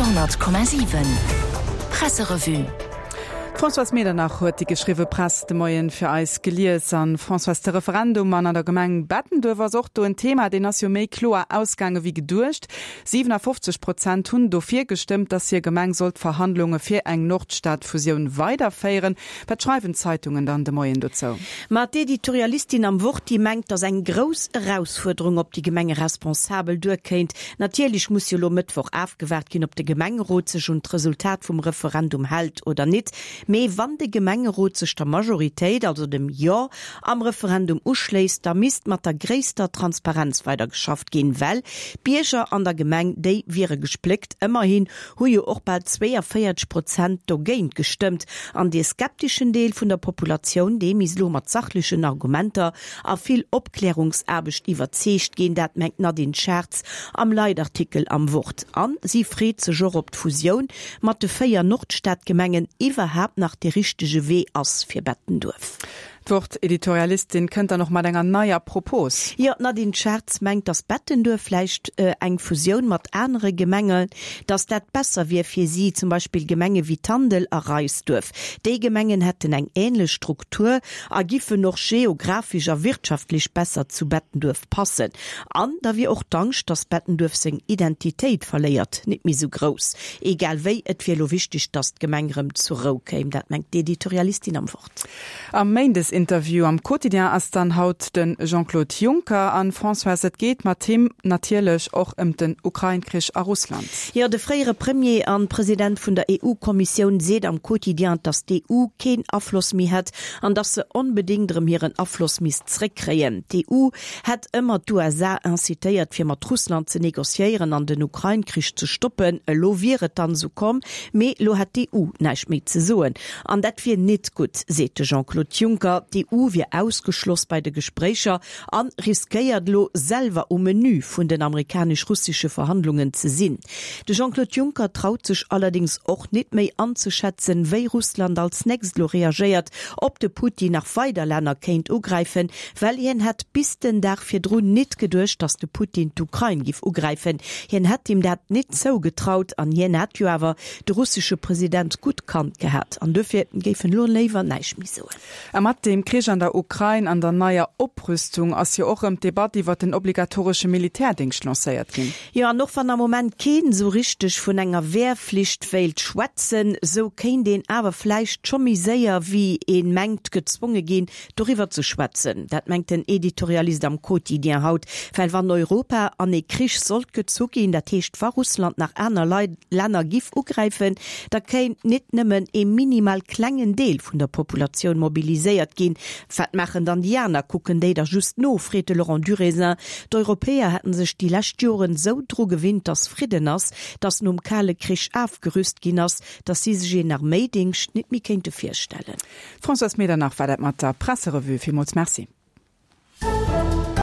Radio,7 Presserevue. D'Françoise Medernach huet déi geschriwwe Press de Moien fir eis gelies. An, Françoise, de Referendum an an der Gemeng Bettenduerf ass och do en Thema. Deen ass jo méi kloer ausgaange wéi geduecht. 57 Prozent hunn dofir gestëmmt, datt hir Gemeng soll d'Verhandlunge fir eng Nordstad-Fusioun weiderféieren. Wat schreiwen d'Zeitungen dann de Moien dozou? Ma d'Editorialistin am Wort, déi mengt, datt eng grouss Erausfuerderung op déi Gemengeresponsabel duerkéint. Natierlech muss jo lo Mëttwoch afgewaart ginn, ob de Gemengerot sech un d'Resultat vum Referendum hält oder nit. Mee wann de Gemengerot sech der Majoritéit, also dem Jo am Referendum uschléisst, da misst mat der gréisster Transparenz weidergeschafft ginn, well d'Bierger an der Gemeng, déi wiere gespléckt. Ëmmerhin hu jo och bal 42 Prozent dogéint gestëmmt. An dee skepteschen Deel vun der Populatioun, dee misst elo mat sachlechen Argumenter a vill Opklärungsaarbecht iwwerzeegt ginn. Dat mengt d'Nadine Schartz am Leitartikel am Wort. A si freet sech och, ob d'Fusioun mat de 4 Nordstadgemengen iwwerhaapt nach dee richtege Wee ass fir Bettenduerf. D'Wort-Editorialistin kënnt dann och mat enger neier Propos. Jo, d'Nadine Schartz mengt, datt Bettenduerf vläicht eng Fusioun mat anere Gemenge, datt dat besser wier fir si, zum Beispill Gemenge wéi Tandel a Reisduerf. Déi Gemengen hätten eng änlech Struktur a giffen och geographesch a wirtschaftlech besser zu Bettenduerf passen. An da wier och d'Angscht, datt Bettenduerf seng Identitéit verléiert, nit méi sou grouss. Egal wéi, et wier elo wichteg, datt d'Gemeng rëm zur Rou kéim. Dat mengt d'Editorialistin am Wort. Am Méindesinterview am Quotidien ass dann haut de Jean-Claude Juncker. An, Françoise, et geet mat him natierlech och ëm den Ukrain-Krich a Russland. Jo, de fréiere Premier an President vun der EU-Kommissioun seet am Quotidien, datt d'EU keen Afloss méi hätt an datt se onbedéngt erëm hiren Afloss misst zréckkréien. D'EU hätt ëmmer d'USA incitéiert, fir mat Russland ze negociéieren an den Ukrain-Krich ze stoppen. Elo wier et dann esou komm, mee elo hätt d'EU näischt méi ze soen. An dat wier nit gutt, seet de Jean-Claude Juncker. D'EU wier ausgeschloss bei de Gespréicher an riskéiert elo selwer um Menü vun den amerikanesch-russesche Verhandlungen ze sinn. De Jean-Claude Juncker traut sech allerdéngs och nit méi anzeschätzen, wéi Russland als nächst elo reagéiert, ob de Putin nach weider Länner kéint ugräifen, well hien hätt bis den Dag virdrun nit geduecht, datt de Putin d'Ukrain giff ugräifen. Hien hätt him dat nit zougetraut an hien hätt jo awer de russesche President gutt kannt gehat an duerfir géif en elo léiwer näischt méi soen. A mat dem Krich an der Ukrain an der neier Oprüstung ass jo och rëm d'Debatt iwwert den obligatoresche Militärdéngscht lancéiert ginn. Jo, an och wann am Moment keen esou richteg vun enger Wehrflicht wéilt schwätzen, esou kéint een awer vläicht scho méi séier wéi een mengt gezwonge ginn, doriwwer ze schwätzen. Dat mengt den Editorialist am Quotidien haut, well wann Europa an ee Krich sollt gezu ginn, dat heescht wa Russland nach aner Länner giff ugräifen, da kéint nit nëmmen ee minimal klengen Deel vun der Populatioun mobiliséiert ginn. Wat maachen dann déi aner? Kucken déi da just no? freet de Laurent Durézin. D'Europäer hätten sech déi lescht Joren esou dru gewinnt, datt Fridden ass, datt nom Kale Krich afgerüst ginn ass, datt si sech een Arméidéngscht nit méi kéinte virstellen. D'Françoise Medernach war dat mat der Presserevue. Villmools Merci.